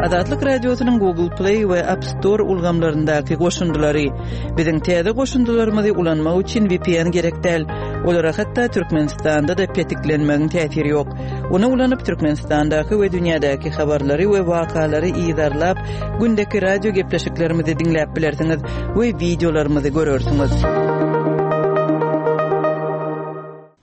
Azatlyk Radiosynyň Google Play we App Store ulgamlaryndaky goşundylary. Biziň täze goşundylarymyzy ulanmak üçin VPN gerek däl. Olara hatda Türkmenistanda-da petiklenmegiň täsiri ýok. Ony ulanyp Türkmenistandaky we dünýädäki habarlary we wakalary yzarlap, gündeki radio gepleşiklerimizi diňläp bilersiňiz we wideolarymyzy görersiňiz.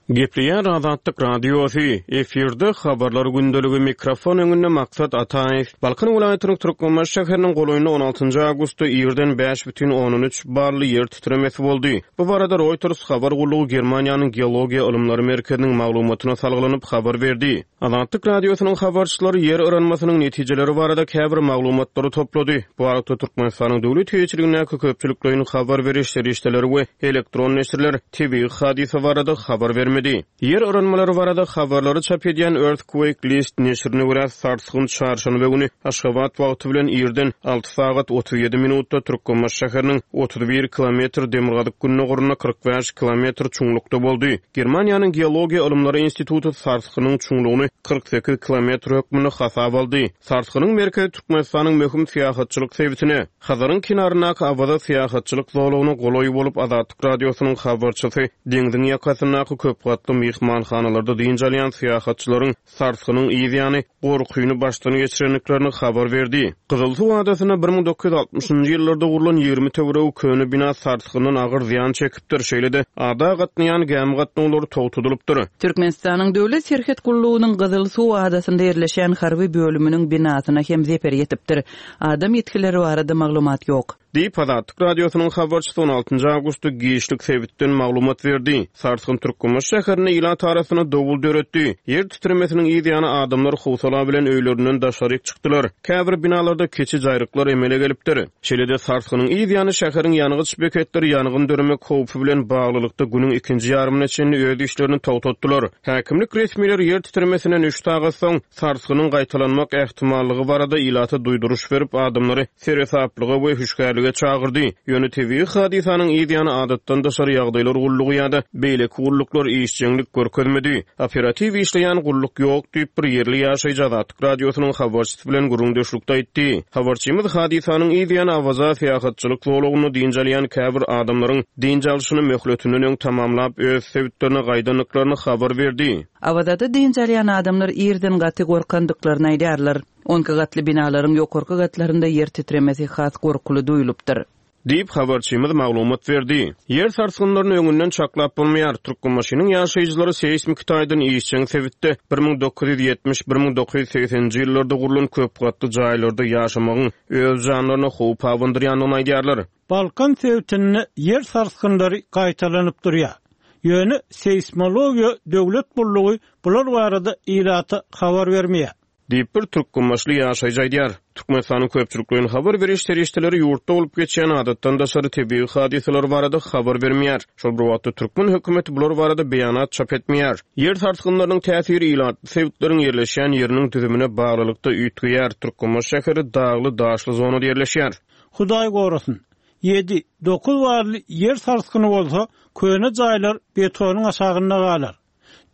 Gepleýär Azatlyk Radiosy, efirde Habarlar gündeligi, mikrofon öňünde Maksat Ataýew. Balkan welaýatynyň Türkmenbaşy şäheriniň golaýynda 16 awgustda irden 5,3 bally ýer titremesi boldy. Bu barada Reuters habar gullugy Germaniýanyň Geologiýa ylymlary merkeziniň maglumatyna salgylanyp habar berdi. Azatlyk Radiosynyň habarçylary ýer yranmasynyň netijeleri barada käbir maglumatlary toplady. Bu aralykda, Türkmenistanyň döwlet eýeçiligindäki köpçülikleýin habar beriş serişdeleri we elektron neşirler tebigy hadysa barada habar bermedi. Ýer yranmalary barada habarlary çap edýän Earthquake List neşirine görä, sarsgyn çarşenbe güni Aşgabat wagty bilen irden 6 sagat 37 minutda Türkmenbaşy şäheriniň 31 kilometr demirgazyk-gündogarynda 45 kilometr çuňlukda boldy. Germaniýanyň Geologiýa ylymlary instituty sarsgynyň çuňlugyny 48 kilometr hökmünde hasaba aldy. Sarsgynyň merkezi Türkmenistanyň möhüm syýahatçylyk sebitine, Hazaryň kenaryndaky Awaza syýahatçylyk zolagyna golaý bolup, Azatlyk Radiosynyň habarçysy deňziň ýakasyndaky köp gatly myhmanhanalarda dynç alýan syýahatçylaryň sarsgynyň yz ýany gorkyny başdan geçirendiklerini habar berdi. Gyzylsuw adasynda 1960-njy ýyllarda gurlan 20 töweregi köne bina sarsgyndan agyr zyýan çekipdir, şeýle-de ada gatnaýan gämi gatnawlary togtadylypdyr. Türkmenistanyň Döwlet serhet gullugynyň Gyzylsuw adasynda ýerleşýän harby bölüminiň binasyna hem zeper ýetipdir. Adam ýitgileri barada maglumat ýok. Diýip, Azatlyk Radiosynyň habarçysy on altynjy awgustda giçlik sebitden maglumat berdi. Sarsgyn Türkmenbaşy şäherinde ilat arasynda dowul döretdi. Ýer titremesiniň yz ýany adamlar howsala bilen öýlerinden daşaryk çykdylar. Käbir binalarda kiçi jaýryklar emele gelipdir. Şeýle-de, sarsgynyň yz ýany şäheriň ýangyç beketleri ýangyn döremek howpy bilen baglylykda günüň ikinji ýarymyna çenli öz işlerini togtatdylar. Häkimlik resmileri ýer titremesinden üç sagat soň, sarsgynyň gaýtalanmak ähtimallygy barada ilata duýduryş berip, adamlary seresaplyga we hüşgärlige çagyrdy. Ýöne tebigy hadysanyň yz ýany adatdan daşary ýagdaýlar gullugy ýa-da beýleki gulluklar işjeňlik görkezmedi. Operatiw işleýän gulluk ýok diýip, bir ýerli ýaşaýjy Azatlyk Radiosynyň habarçysy bilen gürrüňdeşlikde aýtdy. Habarçymyz hadysanyň yz ýany Awaza syýahatçylyk zolagynda dynç alýan käbir adamlaryň dynç alşyny möhletinden öň tamamlap, öz sebitlerine gaýdandyklaryny habar berdi. Awazada dynç alýan adamlar irden gaty gorkandyklaryny aýdýarlar. Onki gatly binalaryň ýokarky gatlarynda ýer titremesi has gorkuly duýulypdyr. Diýip, habarçymyz maglumat berdi. Ýer sarsgynlaryny öňünden çaklap bolmaýar. Türkmenbaşynyň ýaşaýjylary seýsmiki taýdan işjeň sebitde 1970, 1980-nji ýyllarda gurlan köp gatly jaýlarda ýaşamagyň öz janlaryna howp abandyrýandygyny aýdýarlar. Balkan sebitinde ýer sarsgynlary gaýtalanyp durýar. Ýöne seýsmologiýa döwlet gullugy bular barada ilata habar bermeýär. Diýip, bir türkmenbaşyly ýaşaýjy aýdýar. Türkmenistanyň köpçülikleýin habar beriş serişdeleri ýurtda bolup geçýän adatdan daşary tebigy hadysalar barada habar bermeýär. Şol bir wagtda, türkmen hökümeti bular barada beýanat çap etmeýär. Ýer sarsgynlarynyň täsiri ilatly sebitleriň ýerleşýän ýeriniň düzümine baglylykda üýtgeýär. Türkmenbaşy şäheri dagly-daşly zonada ýerleşýär. Hudaý gorasyn, ýedi, dokuz barly ýer sarsgyny bolsa, köne jaýlar betonyň aşagynda galar.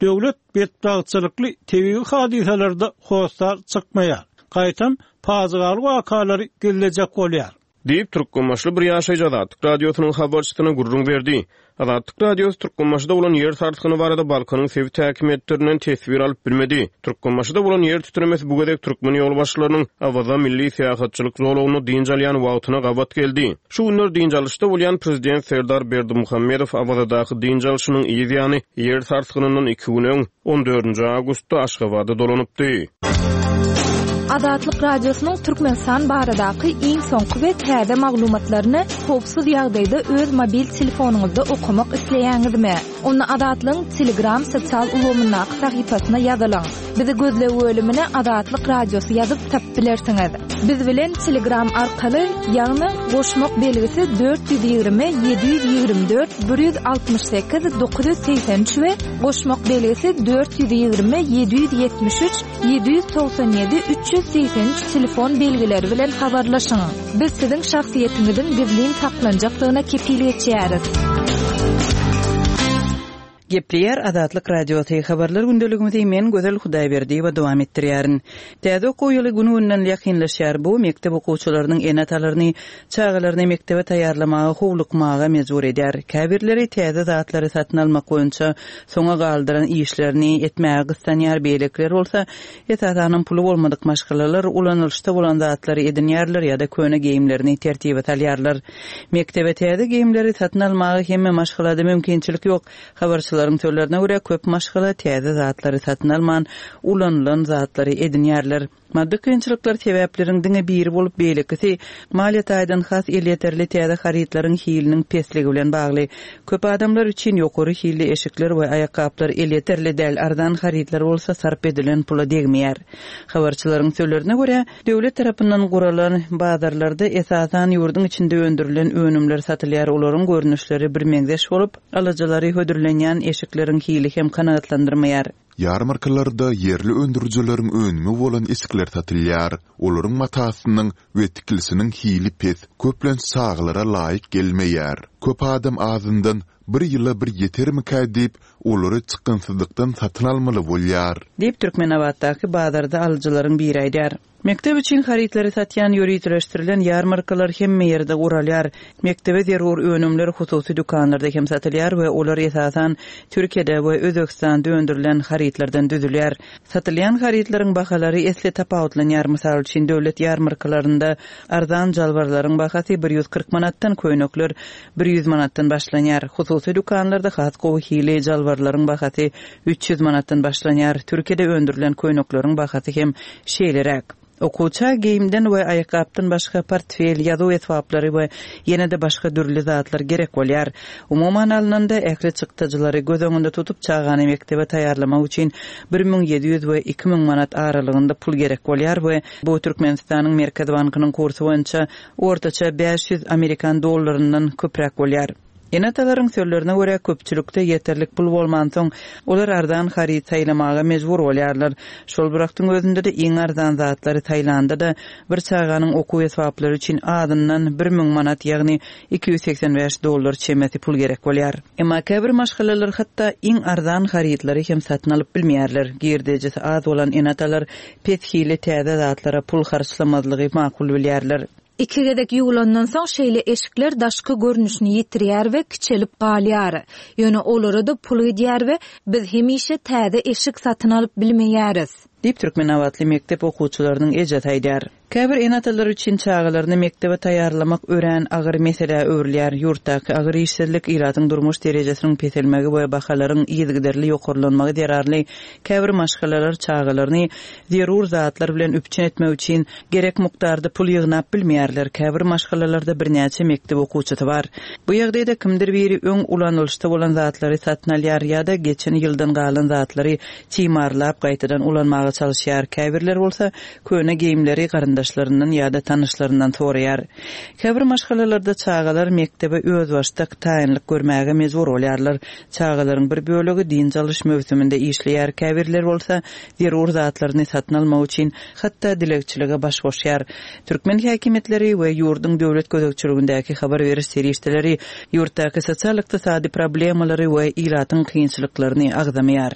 Döwlet betbagtçylykly tebigy hadysalarda hossar çykmaýar. Gaýtam, pajygaly wakalary gizlejek bolýar. Diýip, türkmenbaşyly bir ýaşaýjy Azatlyk Radiosynyň habarçysyna gürrüň berdi. Azatlyk Radiosy Türkmenbaşyda bolan ýer sarsgyny barada Balkanyň sebit häkimiýetlerinden teswir alyp bilmedi. Türkmenbaşyda bolan ýer titremesi bu gezek türkmen ýolbaşçylarynyň Awaza milli syýahatçylyk zolagynda dynç alýan wagtyna gabat geldi. Şu günler dynç alyşda bolýan prezident Serdar Berdimuhamedow Awazadaky dynç alşynyň yz ýany ýer sarsgynyndan iki gün öň, on dördünji awgustda Aşgabada dolanypdy. Azatlyk Radiosynyň Türkmenistan baradaky iň soňky we täze maglumatlaryny howpsuz ýagdaýda öz mobil telefonyňyzda okamak isleýäňizmi? Onda Azatlygyň Telegram sosial ulgamyndaky sahypasyna ýazylyň. Bizi gözleg bölümine Azatlyk Radiosy ýazyp tapyp bilersiňiz. Biz bilen Telegram arkaly, ýagny goşmak belgisi 420 724 168 983 we goşmak belgisi 420 773 797 383 telefon belgileri bilen habarlaşyň. Biz siziň şahsyýetiňiziň gizlin saklanjakdygyna kepil geçýäris. Gepleýär Azatlyk Radiosy, Habarlar gündeligimizi men Gözel Hudaýberdiýewa dowam etdirýärin. Täze okuw ýyly gün-günden ýakynlaşýar. Bu mekdep okuwçylarynyň ene-atalaryny çagalaryny mekdebe taýýarlamaga howlukmaga mejbur edýär. Käbirleri täze zatlary satyn almak boýunça soňa galdyran işlerini etmäge gyssanýar, beýlekiler bolsa, esasanam puly bolmadyk maşgalalar ulanylyşda bolan zatlary edinýärler ýa-da köne geýimlerini tertibe salýarlar. Mekdebe täze geýimleri satyn almaga hemme maşgalada mümkinçilik ýok. Habarçylaryň sözlerine görä, köp maşgala täze zatlary satyn alman, ulanylan zatlary edinýärler. Maddy kynçylyklar sebäpleriň diňe biri bolup, beýlekisi maliýe taýdan has elýeterli täze harytlaryň hiliniň pesligi bilen bagly. Köp adamlar üçin ýokary hilli eşikler we aýakgaplar elýeterli däl, arzan harytlar bolsa sarp edilen pula degmeýär. Habarçylaryň sözlerine görä, Döwlet tarapyndan guralan bazarlarda esasan ýurduň içinde öndürilen önümler satylýar, olaryň görnüşleri birmeňzeş bolup, alyjylary hödürlenýän eşikleriň hili hem kanagatlandyrmaýar. Ýarmarkalarda ýerli öndürijileriň önümi bolan eşikler satylýar. Olaryň matasynyň we tikilişiniň hili pes, köplenç çagalara laýyk gelmeýär. Köp adam azyndan bir ýyla bir ýetermikä diýip, olary çykgynsyzlykdan satyn almaly bolýar. Diýip, Türkmenabatdaky bazarda alyjylaryň biri aýdýar. Mekdep üçin harytlary satýan ýöriteleşdirilen ýarmarkalar hemme ýerde guralýar. Mekdebe zerur önümler hususy dükanlarda hem satylýar we olar esasan Türkiýede we Özbegistanda öndürilen harytlardan düzülýär. Satylýan harytlaryň bahalary esli tapawutlanýar. Mysal üçin, döwlet ýarmarkalarynda arzan jalbarlaryň bahasy 140 manatdan, köýnekler 100 manatdan başlanýar. Hususy dükanlarda has gowy hili jalbarlaryň bahasy 300 manatdan başlanýar. Türkiýede öndürilen köýnekleriň bahasy hem şeýleräk. Okuwça geýimden we aýakgapdan başga portfel, ýazuw esbaplary we ýene-de başga dürli zatlar gerek bolýar. Umuman alnanda, ähli çykdajylary göz öňünde tutup, çagany mekdebe taýýarlamak üçin 1700 we 2000 manat aralygynda pul gerek bolýar we bu Türkmenistanyň Merkezi bankynyň kursy boýunça ortaça 500 amerikan dollaryndan köpräk bolýar. Ene-atalaryň sözlerine görä, köpçülikde ýeterlik pul bolmansoň, olar arzan haryt saýlamaga mejbur bolýarlar. Şol bir wagtyň özünde-de iň arzan zatlary saýlanda-da, bir çaganyň okuw esbaplary üçin azyndan 1000 manat, ýagny 285 dollar çemesi pul gerek bolýar. Emma käbir maşgalalar hatda iň arzan harytlary hem satyn alyp bilmeýärler. Girdejisi az bolan ene-atalar pes hilli täze zatlara pul harçlamazlygy makul bilýärler. Iki gezek ýuwlandan soň şeýle eşikler daşky görnüşini ýitirýär we kiçelip galýar. Ýöne olara-da pul gidýär we biz hemişe täze eşik satyn alyp bilmeýäris. Diýip, türkmenabatly mekdep okuwçylarynyň ejesi aýdýar. Käbir ene-atalar üçin çagalaryny mekdebe taýýarlamak örän agyr meselä öwrülýär. Ýurtdaky agyr işsizlik, ilatyň durmuş derejesiniň peselmegi we bahalaryň yzygiderli ýokarlanmagy zerarly käbir maşgalalar çagalaryny zerur zatlar bilen üpjün etmek üçin gerek mukdarda pul ýygnap bilmeýärler. Käbir maşgalalarda birnäçe mekdep okuwçysy bar. Bu ýagdaýda kimdir biri öň ulanylyşda bolan zatlary satyn alýar ýa-da geçen ýyldan galan zatlary timarlap gaýtadan ulanmaga çalyşýar. Käbirleri bolsa köne geýimleri garyndaşlaryndan ýa-da tanyşlaryndan soraýar. Käbir maşgalalarda çagalar mekdebe özbaşdak taýynlyk görmäge mejbur bolýarlar. Çagalaryň bir bölegi dynç alyş möwsüminde işleýär, käbirleri bolsa zerur zatlaryny satyn almak üçin hatda dilegçilige baş goşýar. Türkmen häkimiýetleri we ýurduň döwlet gözegçiligindäki habar beriş serişdeleri ýurtdaky sosial-ykdysady problemalary we ilatyň kynçylyklaryny agzamaýar.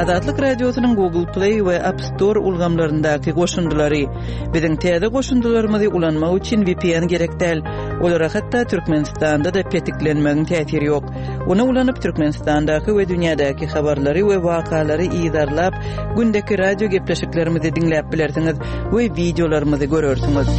Azatlyk Radiosynyň Google Play we App Store ulgamlaryndaky goşundylary. Biziň täze goşundylarymyzy ulanmak üçin VPN gerek däl. Olara hatda Türkmenistanda-da petiklenmegiň täsiri ýok. Ony ulanyp Türkmenistandaky we dünýädäki habarlary we wakalary yzarlap, gündeki radio gepleşiklerimizi diňläp bilersiňiz we wideolarymyzy görersiňiz.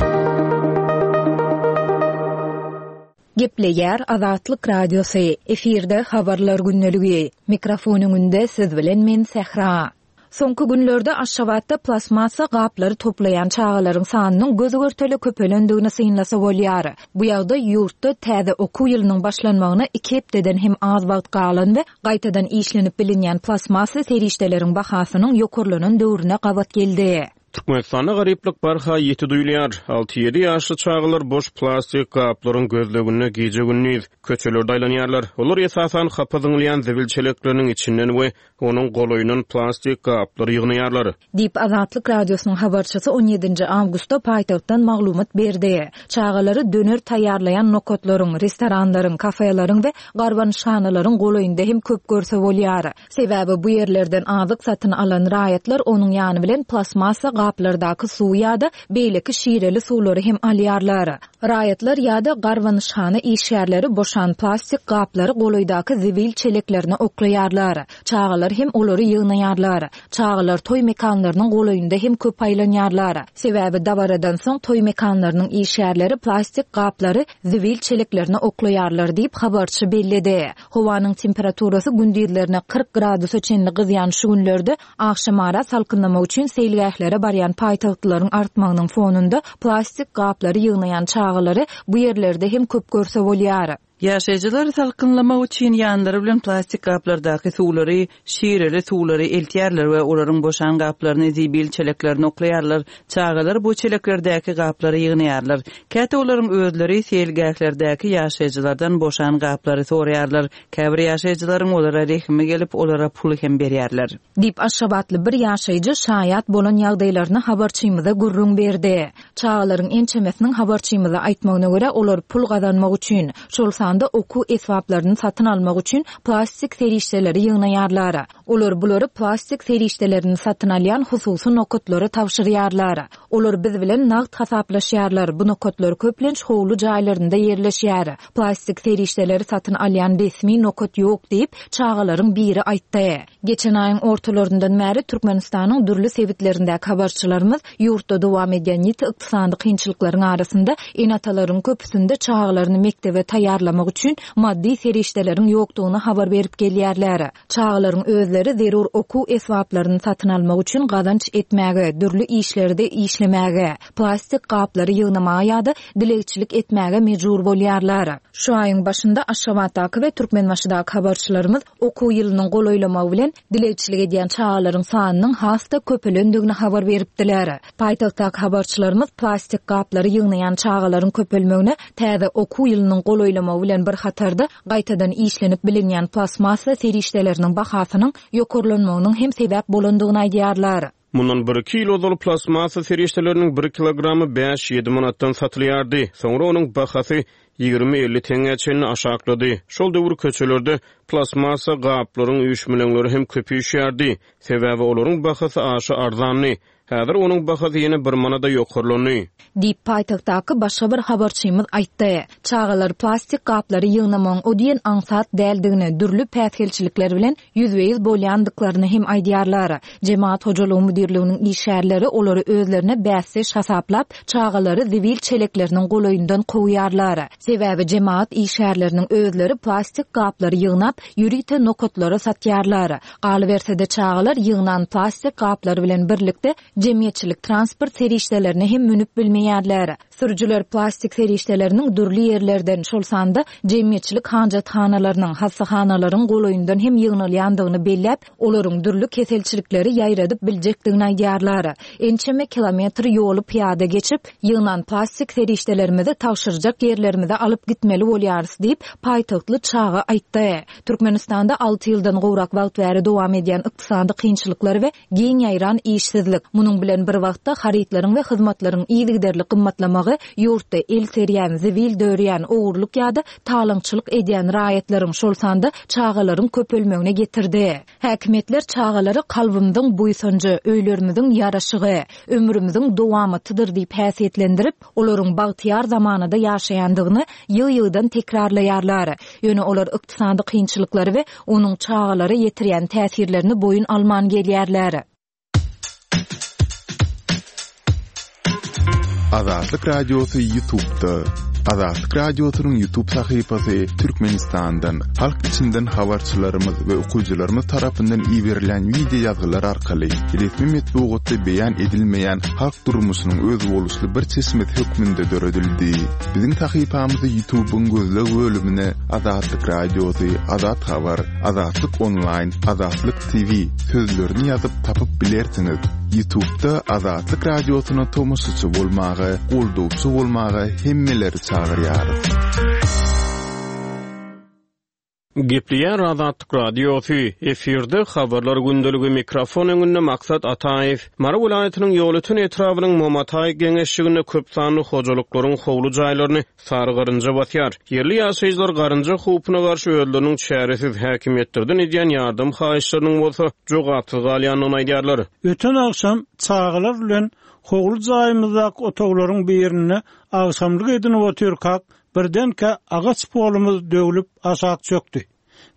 Gepleýär Azatlyk Radiosy, efirde Habarlar gündeligi. Mikrofon öňünde siz bilen men Sähra. Soňky günlerde Aşgabatda plastmassa gaplary toplaýan çagalaryň sanynyň göz-görtele köpelendigini synlasa bolýar. Bu ýagdaý ýurtda täze okuw ýylynyň başlanmagyna iki hepdeden hem az wagt galan we gaýtadan işlenip bilinýän plastmassa serişdeleriň bahasynyň ýokarlanan döwrüne gabat geldi. Türkmenistanda garyplyk barha ýiti duýulýar. Alty-ýedi ýaşly çagalar boş plastik gaplaryň gözleginde gije-gündiz köçelerde aýlanýarlar. Olar esasan hapa zyňylýan zibil çelekleriniň içinden we onuň golaýyndan plastik gaplary ýygnaýarlar. Diýip, Azatlyk Radiosynyň habarçysy on ýedinji awgustda paýtagtdan maglumat berdi. Çagalary döner taýýarlaýan nokatlaryň, restoranlaryň, kafeleriň we garbanyşhanalaryň golaýynda hem köp görse bolýar. Sebäbi bu ýerlerden azyk satyn alan raýatlar onuň ýany bilen plastmassa gaplardaky suwy ýa-da beýleki şireli suwlary hem alýarlar. Raýatlar ýa-da garbanyşhana işgärleri boşan plastik gaplary golaýdaky zibil çeleklerine oklaýarlar. Çagalar hem olary ýygnaýarlar. Çagalar toý mekanlarynyň golaýynda hem köp aýlanýarlar. Sebäbi dabaradan soň toý mekanlarynyň işgärleri plastik gaplary zibil çeleklerine oklaýarlar diýip, habarçy belledi. Howanyň temperaturasy gündizlerine 40 gradusa çenli gyzýan şu günlerde agşamara salkynlamak üçin seýilgählere barýan paýtagtlylaryň artmagynyň fonunda plastik gaplary ýygnaýan çagalary bu ýerlerde hem köp görse bolýar. Ýaşaýjylar salkynlamak üçin ýanlary bilen plastik gaplardaky suwlary, şireli suwlary eltýärler we olaryň boşan gaplaryny zibil çeleklerine oklaýarlar. Çagalar bu çeleklerdäki gaplary ýygnaýarlar. Käte olaryň özleri seýilgählerdäki ýaşaýjylardan boşan gaplary soraýarlar. Käbir ýaşaýjylaryň olara rehimi gelip, olara pul hem berýärler. Diýip, aşgabatly bir ýaşaýjy şaýat bolan ýagdaýlaryny habarçymyza gürrüň berdi. Çagalaryň ençemesiniň habarçymyza aýtmagyna görä, olar pul gazanmak üçin, şol sanda okuw esbaplaryny satyn almak üçin plastik serişdeleri ýygnaýarlar. Olar bulary plastik serişdelerini satyn alýan hususy nokatlara tabşyrýarlar. Olar biz bilen nagt hasaplaşýarlar, bu nokatlar köplenç howly jaýlarynda ýerleşýär. Plastik serişdeleri satyn alýan resmi nokat ýok diýip, çagalaryň biri aýtdy. Geçen aýyň ortalaryndan bäri Türkmenistanyň dürli sebitlerindäki habarçylarymyz ýurtda dowam edýän ýiti ykdysady kynçylyklaryň arasynda ene-atalaryň köpüsinde çagalaryny mekdebe taýýarlamak üçin maddy serişdeleriň ýokdugyny habar berip gelýärler. Çagalaryň özleri zerur okuw esbaplaryny satyn almak üçin gazanç etmäge, dürli işlerde işlemäge, plastik gaplary ýygnamaga ýa-da dilegçilik etmäge mejbur bolýarlar. Şu aýyň başynda Aşgabatdaky we Türkmenbaşydaky habarçylarymyz okuw ýylynyň golaýlamagy bilen dilegçilik edýän çagalaryň sanynyň has-da köpelendigini habar beripdiler. Paýtagtdaky habarçylarymyz plastik gaplary ýygnaýan çagalaryň köpelmegine täze okuw ýylynyň golaýlamagy bilen bir hatarda gaýtadan işlenip bilinýän plastmassa serişdeleriniň bahasynyň ýokarlanmagynyň hem sebäp bolandygyny aýdýarlar. Mundan bir-iki ýyl ozal plastmassa serişdeleriniň bir kilogramy bäş-ýedi manatdan satylýardy. Soňra onuň bahasy 20-50 teňňä çenli aşaklady. Şol döwür köçelerde plastmassa gaplaryň üýşmeleňleri hem köp üýşýärdi. Sebäbi olaryň bahasy aşa arzandy. Häzir onuň bahasy ýene bir manada ýokarlandy. Diýip, paýtagtdaky başga bir habarçymyz aýtdy. Çagalar plastik gaplary ýygnamagyň o diýen aňsat däldigini, dürli päsgelçilikler bilen ýüzbe-ýüz bolýandyklaryny hem aýdýarlar. Jemagat hojalygy müdirliginiň işgärleri olary özlerine bäsdeş hasaplap, çagalary zibil çelekleriniň golaýyndan kowýarlar. Sebäbi jemagat işgärleriniň özleri plastik gaplary ýygnap, ýörite nokatlara satýarlar. Galyberse-de, çagalar ýygnan plastik gaplary bilen birlikde jemgyýetçilik transport serişdelerine hem münüp bilmeýärler. Sürüjiler plastik serişdeleriniň dürli ýerlerden, şol sanda jemgyýetçilik hajathanalarynyň, hassahanalaryň golaýyndan hem ýygnalýandygyny belläp, olaryň dürli keselçilikleri ýaýradyp biljekdigini aýdýarlar. Ençeme kilometr ýoly pyýada geçip, ýygnan plastik serişdelerimizi tabşyrjak ýerlerimize alyp gitmeli bolýarys diýip, paýtagtly çaga aýtdy. Türkmenistanda alty ýyldan gowrak wagt bäri dowam edýän ykdysady kynçylyklar we giň ýaýran işsizlik, munuň bilen bir wagtda harytlaryň we hyzmatlaryň yzygiderli gymmatlamagy ýurtda el serýän, zibil dörýän, ogurlyk ýa-da talaňçylyk edýän raýatlaryň, şol sanda çagalaryň köpelmegine getirdi. Häkimiýetler çagalary kalbymyzyň buýsanjy, öýlerimiziň ýaraşygy, ömrümiziň dowamatydyr diýip häsiýetlendirip, olaryň bagtyýar zamanada ýaşaýandygyny ýygy-ýygydan tekrarlaýarlar. Ýöne olar ykdysady kynçylyklary we onuň çagalara ýetirýän täsirlerini boýun alman gelýärler. Azatlyk Radiosy Ýutubda. Azatlyk Radiosynyň Ýutub sahypasy Türkmenistandan, halk içinden habarçylarymyz we okyjylarymyz tarapyndan iberilen wideo ýazgylar arkaly resmi metbugatda beýan edilmeýän halk durmuşynyň özboluşly bir çeşmesi hökmünde döredildi. Biziň sahypamyzy Ýutubyň gözleg bölümine Azatlyk Radiosy, Azat Habar, Azatlyk Onlaýn, Azatlyk TV sözlerini ýazyp tapyp bilersiňiz. Ýutubda Azatlyk Radiosyna tomaşaçy bolmaga, goldawçy bolmaga hemmeleri çagyrýarys. Gepleýär Azatlyk Radiosy, efirde Habarlar gündeligi, mikrofon öňünde Maksat Ataýew. Mary welaýatynyň Ýolöten etrabynyň Momataý geňeşliginde köp sanly hojalyklaryň howly jaýlaryny sary garynja basýar. Ýerli ýaşaýjylar garynja howpuna garşy özleriniň çäresiz, häkimiýetlerden edýän ýardam haýyşlarynyň bolsa jogapsyz galýandygyny aýdýarlar. Öten agşam çagalar bilen howly jaýymyzdaky otaglaryň birinde agşamlyk edinip otyrkak, Birdenkä agaç polumyz döwlüp aşak çökdi.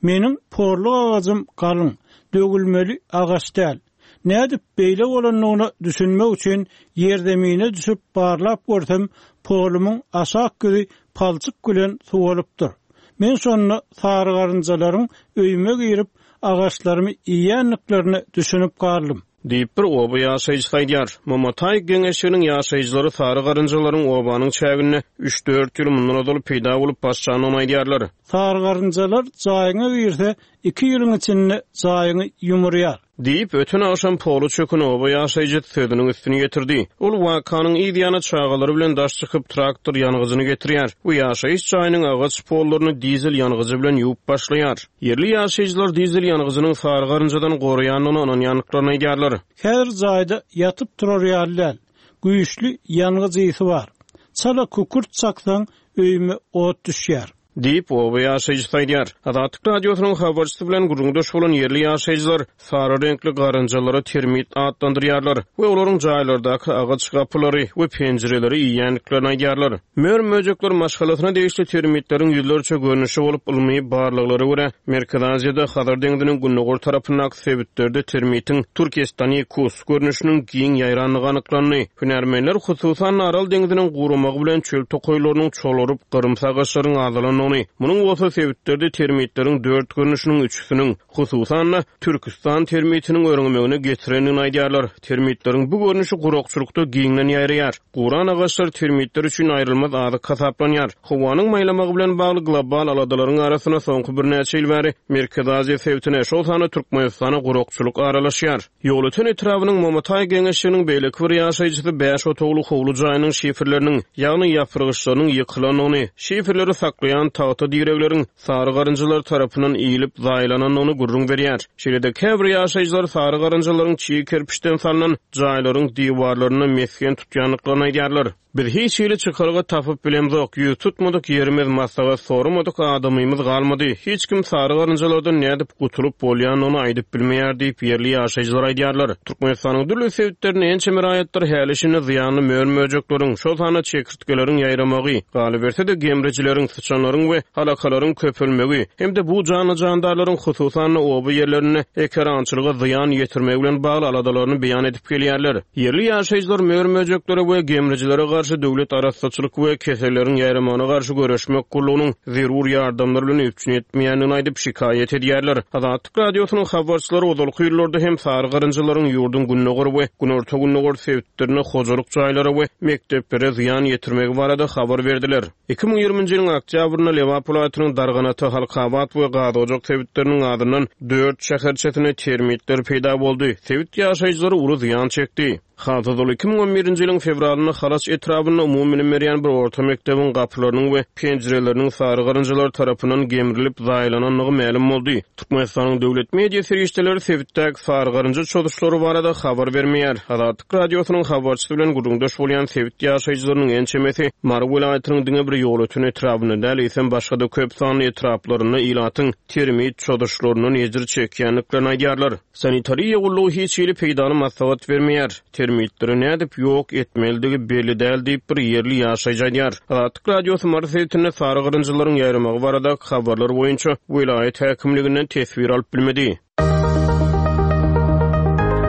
Meniň porluk agajym galyň, döwülmeli agaç däl. Nädip beýle bolandygyna düşünmek üçin ýerzemine düşüp barlap görsem, polumyň aşak ýüzi palçyk bilen suwalypdyr. Men şonda sarygarynjalaryň öýüme girip, agaçlarymy iýýändiklerine düşünip galdym. Diýip, bir oba ýaşaýjysy aýdýar. Momataý geňeşliginiň ýaşaýjylary sary garynjalaryň obanyň çäginde üç-dört ýyl mundan ozal peýda bolup başlandygyny aýdýarlar. Sary garynjalar jaýyňa girse, iki ýylyň içinde jaýyňy ýumurýar. Diýip, öten agşam poly çöken oba ýaşaýjysy sözüniň üstüni ýetirdi. Ol wakanyň yz ýany çagalary bilen daş çykyp, traktor ýangyjyny getirýär we ýaşaýyş jaýynyň agaç pollaryny dizel ýangyjy bilen ýuwup başlaýar. Ýerli ýaşaýjylar dizel ýangyjynyň sary garynjadan goraýandygyna ynanýandyklaryny aýdýarlar. Häzir jaýda ýatyp turar ýaly däl. Güýçli ýangyç ysy bar. Çala kükürt çaksaň, öýüme ot düşýär. Diýip, oba ýaşaýjysy aýdýar. Azatlyk Radiosynyň habarçysy bilen gürrüňdeş bolan ýerli ýaşaýjylar sary reňkli garynjalary termit atlandyrýarlar we olaryň jaýlardaky agaç gapylary we penjireleri iýýändiklerini aýdýarlar. Mör-möjekler maşgalasyna degişli termitleriň ýüzlerçe görnüşi bolup, ylmy barlaglara görä, Merkezi Aziýada Hazar deňziniň gündogar tarapyndaky sebitlerde termitiň turkestanikus görnüşiniň giň ýaýrandygy anyklandy. Hünärmenler, hususan-da, Aral deňziniň guramagy bilen çöl tokaýlarynyň çolaryp, gyrymsy agaçlaryň azalandygyny, munuň bolsa sebitlerde termitleriň dört görnüşiniň üçüsiniň, hususan-da, Türküstan termitiniň örňemegine getirendigini aýdýarlar. Termitleriň bu görnüşi gurakçylykda giňden ýaýraýar. Guran agaçlar termitler üçin aýrylmaz azyk hasaplanýar. Howanyň maýlamagy bilen bagly global aladalaryň arasynda soňky birnäçe ýyl bäri Merkezi Aziýa sebitine, şol sanda Türkmenistana gurakçylyk aralaşýar. Ýolöten etrabynyň Momataý geňeşliginiň beýleki bir ýaşaýjysy bäş otagly howly jaýynyň şiferleriniň, ýagny ýapyrgyçlarynyň ýykylandygyny, şiferleri saklaýan tagta diregleriň sary garynjalar tarapyndan iýlip zaýalanandygyny gürrüň berýär. Şeýle-de käbir ýaşaýjylar sary garynjalaryň çig kerpiçden salnan jaýlaryň diwarlarynda mesgen tutýandyklaryny aýdýarlar. Biz hiç hili çykalga tapyp bilemzok, ýüz tutmadyk ýerimiz, maslahat soramadyk adamymyz galmady. Hiç kim sary garynjalardan nädip gutulyp bolýandygyny aýdyp bilmeýär diýip, ýerli ýaşaýjylar aýdýarlar. Türkmenistanyň dürli sebitlerinde ençeme raýatlar häli-şindi zyýanly mör-möjekleriň, şol sanda çekirtgeleriň ýaýramagy, galyberse-de, gemrijileriň, syçanlaryň we alakalaryň köpelmegi hem-de bu janly-jandarlaryň, hususan-da, oba ýerlerinde ekerançylyga zyýan ýetirmegi bilen bagly aladalaryny beýan edip gelýärler. Ýerli ýaşaýjylar mör-möjeklere we gemrijilere garşy döwlet arassaçylyk we keselleriň ýaýramagyna garşy göreşmek gullugynyň zerur ýardamlar bilen üpjün etmeýändigini aýdyp, şikaýat edýärler. Azatlyk Radiosynyň habarçylary ozalky ýyllarda hem sary garynjalaryň ýurduň gündogar we günorta-gündogar sebitlerinde hojalyk jaýlara we mekdeplere zyýan ýetirmegi barada habar berdiler. 2020-nji ýylyň oktýabrynda Lebap welaýatynyň Darganata, Halkabat we Gazojak sebitleriniň azyndan dört şäherçesinde termitler peýda boldy. Sebit ýaşaýjylary uly zyýan çekdi. Has ozal, 2011-nji ýylyň fewralynda Halaç etrabynda umumybilim berýän bir orta mekdebiň gapylarynyň we penjireleriniň sary garynjalar tarapyndan gemrilip zaýalanandygy mälim boldy. Türkmenistanyň döwlet media serişdeleri sebitdäki sary garynja çozuşlary barada habar bermeýär. Azatlyk Radiosynyň habarçysy bilen gürrüňdeş bolýan sebit ýaşaýjylarynyň ençemesi Mary welaýatynyň diňe bir Ýolöten etrabynda däl, eýsem başga-da köp sanly etraplarynda ilatyň termit çozuşlaryndan ejir çekýändiklerini aýdýarlar. Sanitariýa gullugy hiç hili peýdaly maslahat bermeýär. Termitleri nädip ýok etmelidigi belli däl diýip, bir ýerli ýaşaýjy aýdýar. Azatlyk Radiosy Mary sebitinde sary garynjalaryň ýaýramagy baradaky habarlar boýunça welaýat häkimliginden teswir alyp bilmedi.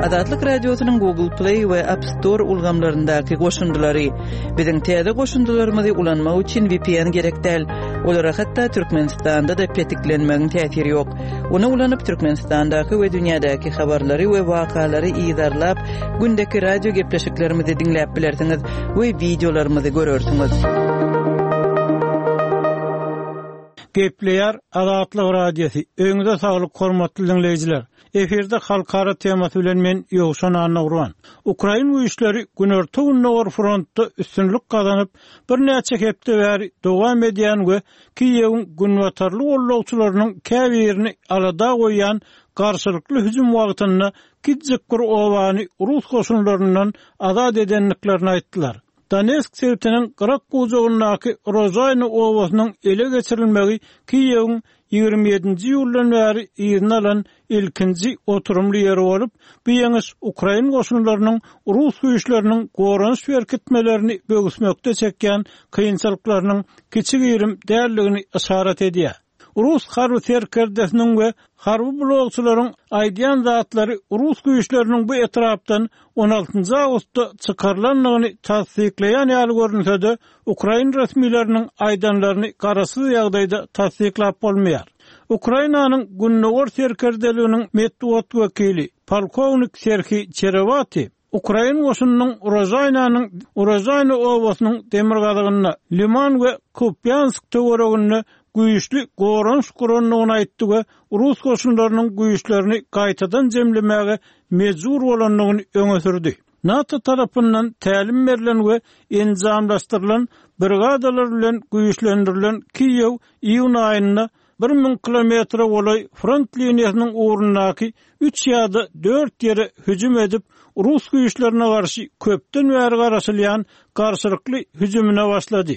Azatlyk Radiosynyň Google Play we App Store ulgamlaryndaky goşundylary. Biziň täze goşundylarymyzy ulanmak üçin VPN gerek däl. Olara hatda Türkmenistanda-da petiklenmegiň täsiri ýok. Ony ulanyp, Türkmenistandaky we dünýädäki habarlary we wakalary yzarlap, gündeki radio gepleşiklerimizi diňläp bilersiňiz we wideolarymyzy görersiňiz. Gepleýär Azatlyk Radiosy, Öýüňize saglyk hormatly diňleýjiler! Efirde halkara temasy bilen men Ýowşan Annagurban. Ukrain güýçleri günorta-gündogar frontda üstünlik gazanyp, birnäçe hepde bäri dowam edýän we Kiýewiň günbatarly gollagçylarynyň käbirini alada goýýan garşylykly hüjüm wagtynda kiçijik bir obany rus goşunlaryndan azat edendiklerini aýtdylar. Donetsk sebitiniň gyrak-bujagyndaky Rožaýna obasynyň ele geçirilmegi Kiýewiň 27-nji iýuldan bäri yzyna alan ilkinji oturymly ýeri bolup, bu ýeňiş ukrain goşunlarynyň rus güýçleriniň goranyş berkitmelerini böwüsmekde çekýän kynçylyklarynyň kiçi-girim däldigini yşarat edýär. Rus harby serkerdesiniň we harby blogçylaryň aýdýan zatlary rus güýçleriniň bu etrapdan on altynjy awgustda çykarylandygyny tassyklaýan ýaly görünse-de, ukrain resmileriniň aýdanlaryny garaşsyz ýagdaýda tassyklap bolmaýar. Ukrainanyň Gündogar serkerdeliginiň metbugat wekili, polkownik Serhiý Çerewati Ukrain goşunynyň Urožaýnanyň Urožaýna obasynyň demirgazygynda, Liman we Kupýansk töwereginde güýçli goranyş gurandygyny aýtdy we rus goşunlarynyň güýçlerini gaýtadan jemlemäge mejbur bolandygyny öňe sürdi. NATO tarapyndan tälim berlen we enjamlaşdyrylan brigadalar bilen güýçlendirilen Kiýew iýun aýynda 1000 kilometre golaý front liniýasynyň ugrundaky üç ýa-da dört ýere hüjüm edip, rus güýçlerine garşy köpden bäri garaşylýan garşylykly hüjümine başlady.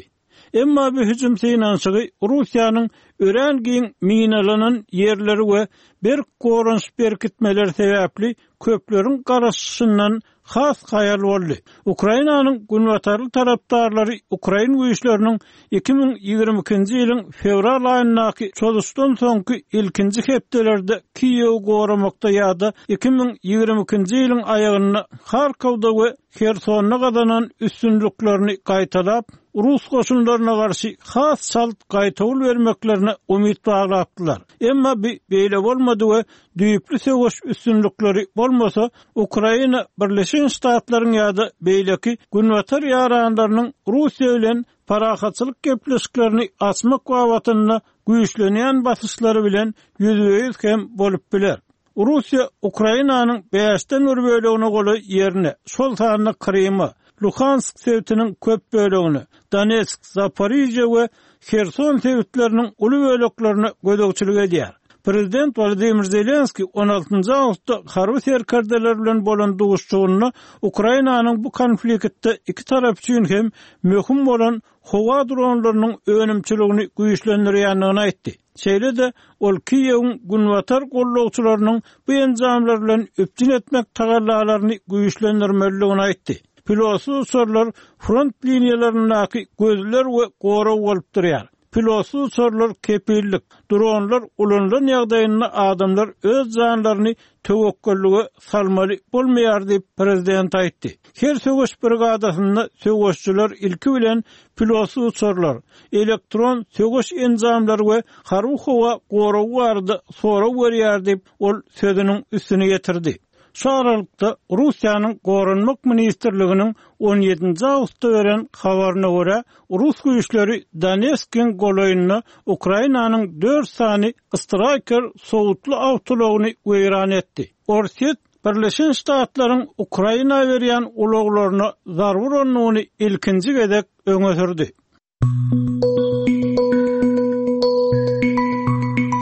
Emma bu hüjüm synanyşygy Russiýanyň örän giň minalanan ýerleri we berk goranyş berkitmeleri sebäpli köpleriň garaşyşyndan has haýal boldy. Ukrainanyň günbatarly tarapdarlary ukrain güýçleriniň 2022-nji ýylyň fewral aýyndaky çozuşdan soňky ilkinji hepdelerde Kiýewi goramakda ýa-da 2022-nji ýylyň aýagynda Harkowda we Hersonda gazanan üstünliklerini gaýtalap, rus goşunlaryna garşy has çalt gaýtawul bermeklerine umyt baglapdylar. Emma bu beýle bolmady we düýpli söweş üstünlikleri bolmasa, Ukraina Birleşen Ştatlaryň ýa-da beýleki Günbatar ýaranlarynyň Russiýa bilen parahatçylyk gepleşiklerini açmak babatynda güýçlenýän basyşlary bilen ýüzbe-ýüz hem bolup biler. Russiýa Ukrainanyň bäşden bir bölegine golaý ýerine, şol sanda Kryma, Luhansk sebitiniň köp bölegine, Donetsk, Zaporižýa we Herson sebitleriniň uly böleklerine gözegçilik edýär. Prezident Wolodymyr Zelenskiý on altynjy awgustda harby serkerdeler bilen bolan duşuşygynda Ukrainanyň bu konfliktde iki tarap üçin hem möhüm bolan howa dronlarynyň önümçiligini güýçlendirýändigini aýtdy. Şeýle-de, ol Kiýewiň günbatar gollagçylarynyň bu enjamlar bilen üpjün etmek tagallalaryny güýçlendirmelidigini aýtdy. Pilotsyz uçarlar front liniýalaryndaky gözler we gorag bolup durýar. Pilotsyz uçarlar kepillik, dronlar ulanylan ýagdaýynda adamlar öz janlaryny töwekgellige salmaly bolmaýar diýip, prezident aýtdy. Her söweş brigadasynda söweşçiler ilki bilen pilotsyz uçarlar, elektron söweş enjamlary we harby howa goragy barada sorag berýär diýip, ol sözüniň üstüni ýetirdi. Şu aralykda, Russiýanyň Goranmak ministrliginiň on ýedinji awgustda beren habaryna görä, rus güýçleri Donetskiň golaýynda Ukrainanyň dört sany Straýker sowutly awtoulagyny weýran etdi. Orsýet Birleşen Ştatlaryň Ukraina berýän ulaglaryna zarba urandygyny ilkinji gezek öňe sürdi.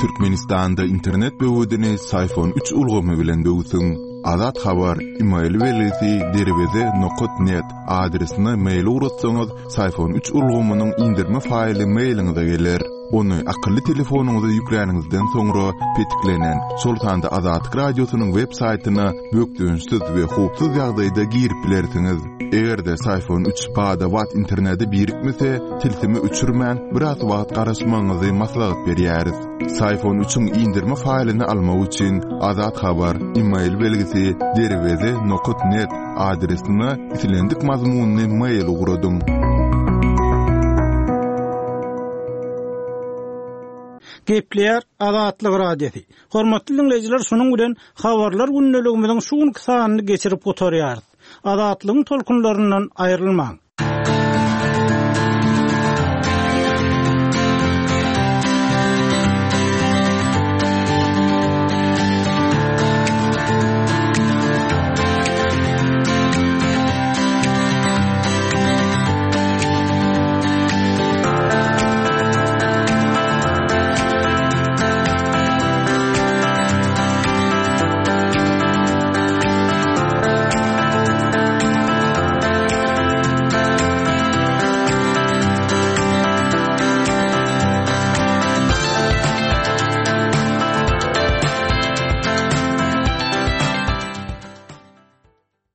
Türkmenistanda internet böwedini Syfon 3 ulgamy bilen böwsüň. Azat Habar, email belgisi derweze nokat net adresine mail ugratsaňyz, Syfon 3 ulgamynyň indirme faýly mailiňize geler. Ony akylly telefonyňyza ýükläniňizden soňra petiklenen, şol sanda Azatlyk Radiosynyň web saýtyna bökdençsiz we howpsuz ýagdaýda girip bilersiňiz. Eger-de Syfon 3 bada-bat internete birikmese, tilsimi öçürmän, biraz wagt garaşmagyňyzy maslahat berýäris. Syfon 3-iň indirme faýlyny almak üçin Azat Habar, email belgisi, derweze nokat net adresine islendik mazmunly mail ugradyň. Gepleýär Azatlyk Radiosy. Hormatly diňleýjiler, şunuň bilen Habarlar gündeligimiziň şu günki sanyny geçirip gutarýarys. Azatlygyň tolkunlaryndan aýrylmaň!